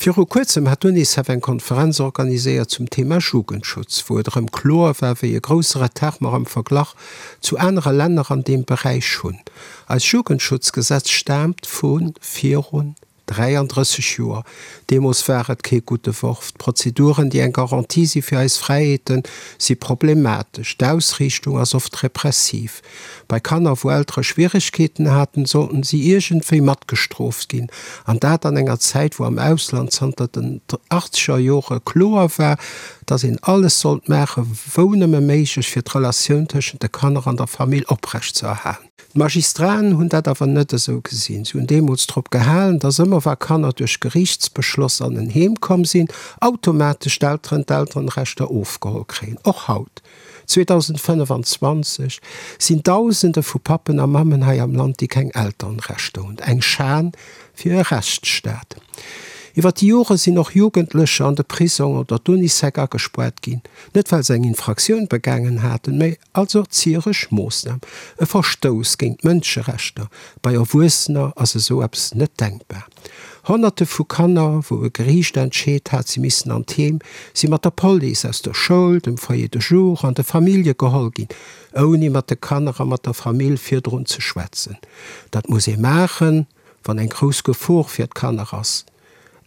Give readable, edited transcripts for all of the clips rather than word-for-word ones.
Viru kuerzem hat d'UNICEF eng Konferenz organiséiert zum Thema Jugendschutz, wou et erëm kloer war, wéi e grousse Retard mer am Verglach zu anere Länner an deem Beräich hunn. Eist Jugendschutzgesetz staamt vu virun 33 Joer. Deemools war et kee gudde Worf. D'Prozeduren, déi eng Garantie si fir eis Fräiheeten, si problematesch. D'Ausriichtung ass oft repressiv. Bei Kanner, wou Eltere Schwieregkeeten haten, sollten si iergendwéi matgestrooft ginn. An dat an enger Zäit, wou am Ausland zanter den achtzeger Jore kloer war, dass een alles sollt maachen, wou nëmme méiglech, fir d'Relatioun tëschent de Kanner an der Famill oprecht ze erhalen. D'Magistraten hunn dat awer net esou gesinn. Si hunn deemools drop gehalen, dass ëmmer wa Kanner duerch Geriichtsbeschloss an en Heem komm sinn, automatesch d'Elteren d'Elterenrechter ofgeholl kréien. Och haut, 2025, sinn Dausende vu Pappen a Mammen hei am Land, déi keng Elterenrechter hunn. Eng Schan fir e Rechtsstaat. Iwwer déi Jore sinn och Jugendlecher an de Prisong oder d'Unisec agespoart ginn, net well se eng Infraktioun begaangen haten, mä Als erzieresch Moossnam, e Verstouss géint d'Mënscherechter, bei Erwuessener ass esou eppes net denkbar. Honnerte vu Kanner, wou e Geriicht entscheet hat, si missten an d'Heem, si mat der Police aus der Schoul, dem Foyer de jour an de Famillje geholl ginn, ouni mat de Kanner a mat der Famill virdrun ze schwätzen. Dat muss ee maachen, wann eng grouss Gefor fir d'Kanner ass.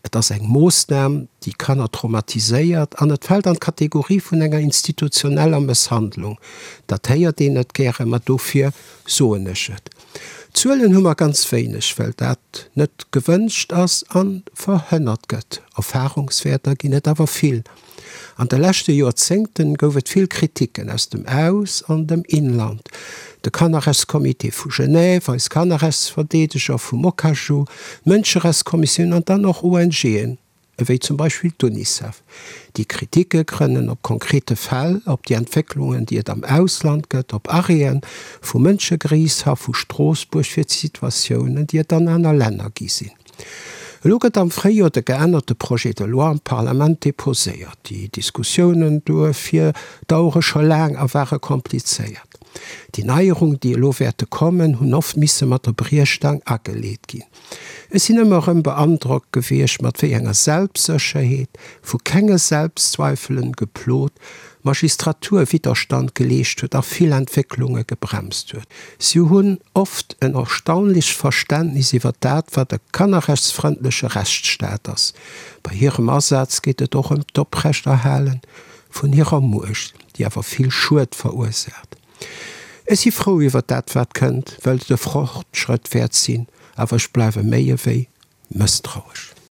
Et ass eng Moossnam, déi Kanner traumatiséiert an et fält an d'Kategorie vun enger institutioneller Mësshandlung. Dat héiert een net gären, ma dofir soen ech et. Zuelen hu mer ganz wéineg, well dat net gewënscht ass a verhënnert gëtt. Erfahrungswäerter ginn et awer vill. An de leschte Joerzéngten gouf et vill Kritiken aus dem Aus an dem Inland. De Kannerrechtscomité vu Genève, eis Kannerrechtsverdeedeger vum Okaju, d'Mënscherechtskommissioun an dann och ONGen, ewéi zum Beispill d'UNICEF. Déi Kritike grënnen op konkrete Fäll, op déi Entwécklungen, déi et am Ausland gëtt, op Arrêten vum Mënschegeriichtshaff vu Stroossbuerg fir d'Situatiounen, déi et an aner Länner gi sinn. Elo gëtt am Fréijoer de geännerte Projet de loi am Parlament deposéiert. Déi Diskussiounen duerfir dauere scho laang a ware komplizéiert. Déi Neierungen, déi elo wäerte kommen, hunn oft misse mat der Briechstaang ageleet ginn. Ech sinn ëmmer erëm beandrockt gewiescht, mat wéi enger Selbstsécherheet, vu kenge Selbstzweifelen geplot, d'Magistratur Widderstand geleescht huet a vill Entwécklunge gebremst huet. Si hunn oft en erstaunlicht Verständnis iwwer dat, wat e kannerrechtsfrëndleche Rechtsstaat ass. Bei hirem Asaz geet et och ëm d'Oprechterhale vun hirer Muecht, déi awer vill Schued verursaacht. Ech si frou iwwer dat, wat kënnt, well et e Fortschrëtt wäert sinn, awer ech bleiwe méi ewéi mësstrauesch.